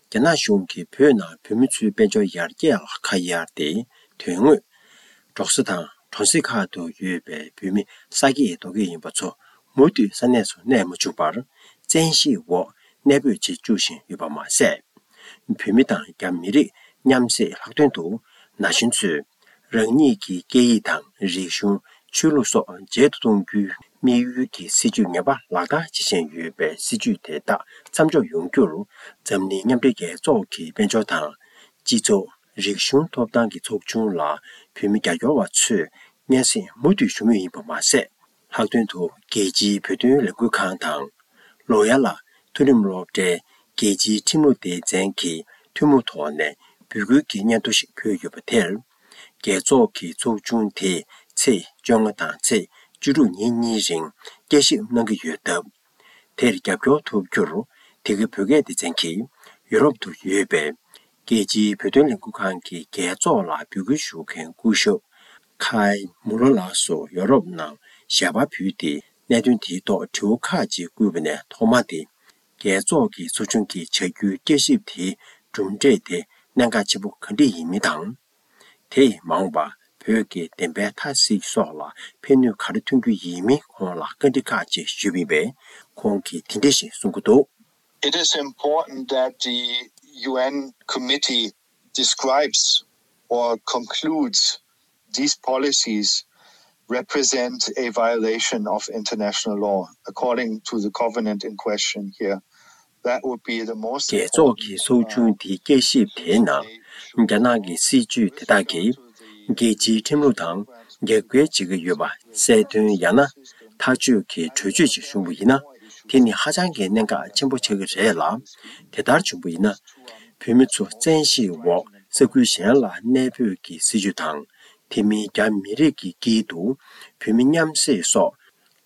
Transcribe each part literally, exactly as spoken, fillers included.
རྒྱ་ནག་གཞུང་གིས་བོད་ནང་བོད་མི་ཚོའི་དཔལ་འབྱོར་ཡར་རྒྱས་ལ་ཁ་གཡར་ཏེ། དོན་དངོས་འབྲོག་ས་དང་གྲོང་གསེབ་ཁག་ཏུ་ཡོད་པའི་བོད་མི་ས་སྐྱེས་རྡོ་སྐྱེས་ཡིན་པ་ཚོ་མུ་མཐུད་ས་གནས་སུ་གནས་མ་བཅུག་པར། བཙན་ཤེད་འོག་གནས་སྤོས་བྱེད་བཅུག་བཞིན་ཡོད་པ་མ་ཟད། བོད་མི་དང་རྒྱ་མི་རིགས་མཉམ་བསྲེས་ལྷག་དོན་དུ་ན་གཞོན་ཚོས་རང་ཉིད་ཀྱི་སྐད་ཡིག་དང་རིག་གཞུང་། ཆོས་ལུགས་སོགས་མཇལ་དུ་གཏོང་རྒྱུའི་དམིགས་ཡུལ་གྱི་སྲིད་བྱུས་ངན་པ་ལག་བསྟར་བྱེད་བཞིན་ཡོད་པའི་སྲིད་བྱུས་དེ་དག་མཚམས་འཇོག་ཡོང་རྒྱུར། འཛམ་གླིང་མཉམ་འབྲེལ་རྒྱལ་ཚོགས་ཀྱི་དཔལ་འབྱོར་དང་། སྤྱི་ཚོགས། རིག་གཞུང་ཐོབ་ཐང་གི་ཚོགས་ཆུང་ལ་བོད་མི་རྒྱབ་སྐྱོར་བ་ཚོས་སྙན་སེང་མུ་མཐུད་ཞུ་མུས་ཡིན་པ་མ་ཟད། ལྷག་དོན་དུ་རྒྱལ་སྤྱིའི་བོད་དོན་ལས་འགུལ་ཁང་དང་། ལོ་ཡ་ལ་མཐོ་རིམ་སློབ་གྲྭའི་རྒྱལ་སྤྱིའི་ཁྲིམས་ལུགས་སྡེ་ཚན་གྱི་ཐུན་མོང་ཐོག་ནས་འབོད་སྐུལ་གྱི་སྙན་ཐོ་ཞིག་ཕུལ་ཡོད་པ་དེར། རྒྱལ་ཚོགས་ཀྱི་ཚོགས་ཆུང་དེས་ཚེས་བཅོ་ལྔ་དང་ཚེས་བཅུ་དྲུག་ཉིན་གཉིས་རིང་དཔྱད་ཞིབ་གནང་གི་ཡོད་སྟབས། དེར་རྒྱབ་སྐྱོར་ཐོབ་རྒྱུར། དེ་གའི་བོད་སྐད་སྡེ་ཚན་གྱིས་ཡོ་རོབ་ཏུ་ཡོད་པའི་རྒྱལ་སྤྱིའི་བོད་དོན་ལས་འགུལ་ཁང་གི་རྒྱལ་ཚོགས་ལ་འབོད་སྐུལ་ཞུ་མཁན་སྐུ་ཞབས་ཁའི་མུ་ལོ་ལགས་སུ་ཡོ་རོབ་ནང་ཞལ་པར་ཕུལ་ཏེ། གནད་དོན་དེའི་ཐོག་དྲི་བ་ཁག་ཅིག་བསྐུལ་བ་ནས་ཐོག་མ་དེ། རྒྱལ་ཚོགས་ཀྱི་ཚོགས་ཆུང་གིས་བྱ་རྒྱུའི་དཔྱད་ཞིབ་དེའི་གྲུབ་འབྲས་དེ་གནད་འགག་ཆེན་པོ་ག་འདྲ་ཡིན་མིན་དང་། དེས་མ་འོངས་པར་བོད་ཀྱི་བདེན་པའི་མཐའ་གཟིགས་སོགས་ལ་ཕན་ནུས་ག་རེ་ཐོན་རྒྱུ་ཡིན་མིན་ཁོང་ལ་བཀའ་འདྲི་ཁག་ཅིག་ཞུས་པ་ཡིན་པས། ཁོང་གིས་དེ་འདྲ་ཞིག་གསུང་གི་འདུག། It is important that the U N committee describes or concludes these policies represent a violation of international law according to the covenant in question here. That would be the most. རྒྱལ་ཚོགས་ཀྱི་ཚོགས་ཆུང་དེའི་དཔྱད་ཞིབ་དེའི་ནང་། རྒྱ་ནག་གི་སྲིད་བྱུས་དེ་དག་གིས་རྒྱལ་སྤྱིའི་ཁྲིམས་ལུགས་དང་རྒྱབ་འགལ་བྱེད་ཀྱི་ཡོད་པ་གསལ་སྟོན་ཡང་ན་ཐག་གཅོད་ཀྱི་གྲོས་ཆོད་ཅིག་བྱུང་བ་ཡིན་ན། དེ་ནི་ཧ་ཅང་གི་གནད་འགག་ཆེན་པོ་ཆགས་ཀྱི་རེད་ལ། དེ་ལྟར་བྱུང་བ་ཡིན་ན། བོད་མི་ཚོ་བཙན་ཤེད་འོག་ས་ཁུལ་གཞན་ལ་གནས་སྤོས་ཀྱི་སྲིད་བྱུས་དང་། དེ་མིན་རྒྱ་མི་རིགས་ཀྱི་དཀྱིལ་དུ་བོད་མི་མཉམ་བསྲེས་སོགས་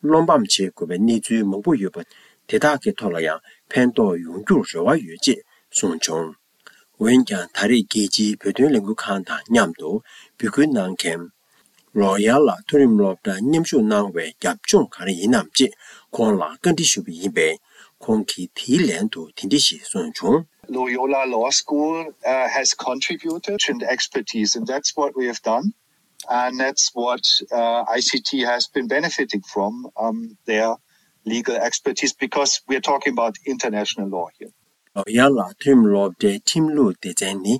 བློ་ཕམ་བྱེད་དགོས་པའི་གནས་ཚུལ་མང་པོ་ཡོད་པ། དེ་དག་གི་ཐོག་ལ་ཡང་ཕན་ཐོགས་ཡོང་རྒྱུར་རེ་བ་ཡོད་ཅེས་གསུངས་བྱུང་། འོན་ཀྱང་ད་རེས་རྒྱལ་སྤྱིའི་བོད་དོན་ལས་འགུལ་ཁང་དང་མཉམ་དུ་འབོད་སྐུལ་གནང་མཁན། ལོ་ཡ་ལ་མཐོ་རིམ་སློབ་གྲྭར་མཉམ་ཞུགས་གནང་བའི་རྒྱབ་ལྗོངས་ག་རེ་ཡིན་ནམ་ཅེས་ཁོང་ལ་བཀའ་འདྲི་ཞུས་པ་ཡིན་པས། ཁོང་གིས་དེའི་ལན་དུ་དེ་འདྲ་ཞིག་གསུངས་བྱུང་། Loyola Law School uh, has contributed to the expertise, and that's what we have done. And that's what uh, I C T has been benefiting from um, their legal expertise, because we are talking about international law here. ལོ་ཡ་ལ་མཐོ་རིམ་སློབ་གྲྭའི་ཁྲིམས་ལུགས་སྡེ་ཚན་ནི་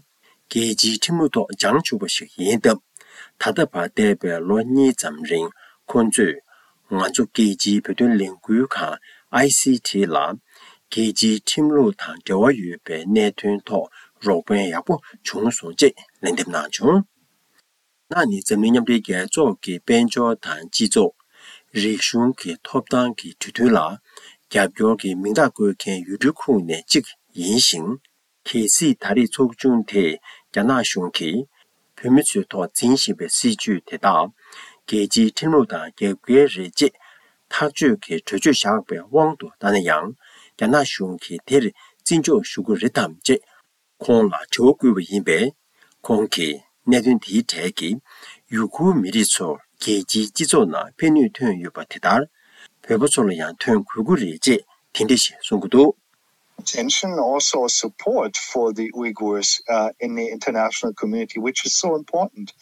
རྒྱལ་སྤྱིའི་ཁྲིམས་ལུགས་ཐོག་སྦྱངས་བཅུག་པ་ཞིག་ཡིན་སྟབས། ད་ལྟ་བར་འདས་པའི་ལོ་གཉིས་ཙམ་རིང་ཁོང་ཚོས་ང་ཚོ་རྒྱལ་སྤྱིའི་བོད་དོན་ལས་འགུལ་ཁང་ཨའི་སི་ཊི་ལ་རྒྱལ་སྤྱིའི་ཁྲིམས་ལུགས་དང་འབྲེལ་བ་ཡོད་པའི་གནད་དོན་ཐོག་རོགས་ཕན་ཡག་པོ་བྱུང་སོང་ཅེས་ལན་འདེབས་གནང་བྱུང་། ནག་ནི་འཛམ་གླིང་མཉམ་འབྲེལ་རྒྱལ་ཚོགས་ཀྱི་དཔལ་འབྱོར་དང་སྤྱི་ཚོགས། རིག་གཞུང་གི་ཐོབ་ཐང་གི་གྲོས་མཐུན་ལ་རྒྱབ་སྐྱོར་གྱི་མིང་རྟགས་བཀོད་མཁན་ཡུལ་གྲུའི་ཁོངས་ནས་གཅིག་ཡིན་ཞིང་། གལ་སྲིད་ད་རེས་ཚོགས་ཆུང་དེས་རྒྱ་ནག་གཞུང་གིས་བོད་མི་ཚོའི་ཐོག་འཛིན་བཞིན་པའི་སྲིད་བྱུས་དེ་དག་རྒྱལ་སྤྱིའི་ཁྲིམས་ལུགས་དང་རྒྱབ་འགལ་རེད་ཅེས་ཐག་གཅོད་ཀྱི་གྲོས་ཆོད་བཞག་པའི་དབང་དུ་བཏང་ན་ཡང་། རྒྱ་ནག་གཞུང་གིས་དེར་བརྩི་འཇོག་ཞུ་གི་རེད་དམ་ཅེས་ཁོང་ལ་དྲི་བ་བསྐུལ་བ་ཡིན་པས། ཁོང་གིས་གནད་དོན་དེའི་གྲས་ཀྱིས་ཡུ་གུར་མི་རིགས་ཚོར་རྒྱལ་སྤྱིའི་སྤྱི་ཚོགས་ནང་ཕན་ནུས་ཐོན་ཡོད་པ་དེ་ལྟར། བོད་པ་ཚོ་ལ་ཡང་ཐོན་དགོས་ཀྱི་རེད་ཅེས་དེ་འདྲ་ཞིག་གསུང་གི་འདུག། Attention, also support for the Uyghurs uh, in the international community, which is so important.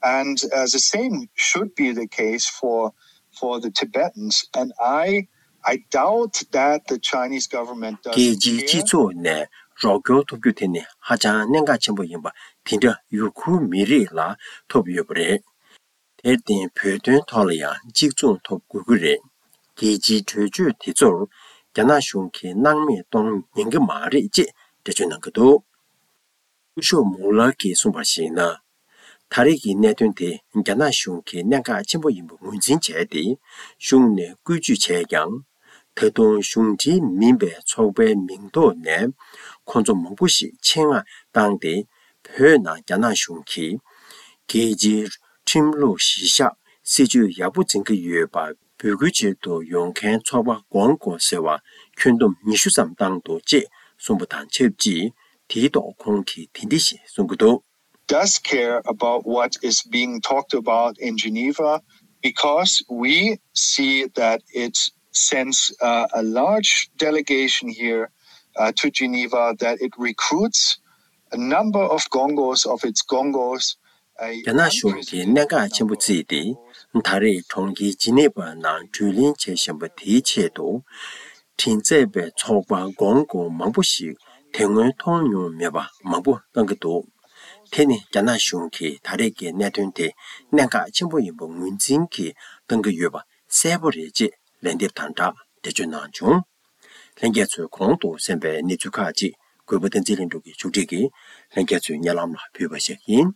And uh, the same should be the case for for the Tibetans. And I I doubt that the Chinese government doesn't རྒྱལ་སྤྱིའི་སྤྱི་ཚོགས་ནས་རོགས་སྐྱོར་ཐོབ་རྒྱུ་དེ་ནི་ཧ་ཅང་གནད་འགག་ཆེན་པོ་ཡིན་པ་དེ་འདྲ་ཡུ་གུར་མི་རིགས་ལ་ཐོབ་ཡོད་པ་རེད། དེར་བརྟེན་བོད་དོན་ཐོག་ལ་ཡང་གཅིག་མཚུངས་ཐོབ་དགོས་ཀྱི་རེད། རྒྱལ་སྤྱིའི་གྲོས་ཆོད་དེ་ཚོར་རྒྱ་ནག་གཞུང་གིས་སྣང་མེད་གཏོང་ཉན་གྱི་མ་རེད་ཅེས་འགྲེལ་བརྗོད་གནང་གི་འདུག། སྐུ་ཞབས་མུ་ལར་གྱིས་གསུངས་པར་གཞིགས་ན། ད་རེས་ཀྱི་གནད་དོན་དེ་རྒྱ་ནག་གཞུང་གིས་གནད་འགག་ཆེན་པོ་ཡིན་པ་ངོས་འཛིན་བྱས་ཏེ། གཞུང་ནས་བཀོལ་སྤྱོད་བྱས་ཀྱང་། ད་དུང་གཞུང་འབྲེལ་མིན་པའི་ཚོགས་པའི་མིང་ཐོག་ནས་ཁོང་ཚོ་མང་པོ་ཞིག་ཆེད་མངགས་བཏང་སྟེ། བོད་ནང་རྒྱ་ནག་གཞུང་གིས་རྒྱལ་སྤྱིའི་ཁྲིམས་ལུགས་གཞི་བཞག་སྲིད་བྱུས་ཡག་པོ་འཛིན་གྱི་ཡོད་པ་འབོད་སྐུལ་བྱེད་དུ་ཡོང་མཁན་ཚོགས་པ་སྒོང་དགོས་ཟེར་བ་ཁྱོན་བསྡོམས་ཉི་ཤུ་ཙམ་བཏང་འདུག་ཅེས་གསུངས་པ་དང་ཆབས་ཅིག། དེའི་ཐོག་ཁོང་གིས་དེ་འདྲ་ཞིག་གསུང་གི་འདུག། Does care about what is being talked about in Geneva, because we see that it sends uh, a large delegation here uh, to Geneva that it recruits a number of Gongos, of its Gongos, a རྒྱ་ནག་གཞུང་གིས་གནད་འགག་ཆེན་པོ་བརྩིས་ཏེ། ད་རེས་གྲོང་ཁྱེར་ཇི་ནི་ཝ་ནང་བགྲོ་གླེང་བྱེད་བཞིན་པ་དེའི་ཆེད་དུ། བྲིན་མཛད་པའི་ཚོགས་པ་གོང་གོང་མང་པོ་ཞིག་དེ་སྔོན་མཐོང་མྱོང་མེད་པ་མང་པོ་བཏང་གི་འདུག་དེ་ནི་རྒྱ་ནག་གཞུང་གིས་ད་རེས་ཀྱི་གནད་དོན་དེ་གནད་འགག་ཆེན་པོ་ཡིན་པ་ངོས་འཛིན་གྱིས་བཏང་གི་ཡོད་པ་གསལ་པོ་རེད་ཅེས་ལན་འདེབས་དང་སྦྲགས་འགྲེལ་བརྗོད་གནང་བྱུང་། ལྷན་རྒྱས་ཚོས་གོང་དུ་གསན་པའི་གནས་ཚུལ་ཁག་ཅིག་གུས་པ་བསྟན་འཛིན་ལྷུན་གྲུབ་ཀྱིས་ཕྱོགས་སྒྲིག་གིས་ལྷན་རྒྱས་ཚོའི་སྙན་ལམ་ལ་ཕུལ་བ་ཞིག་ཡིན།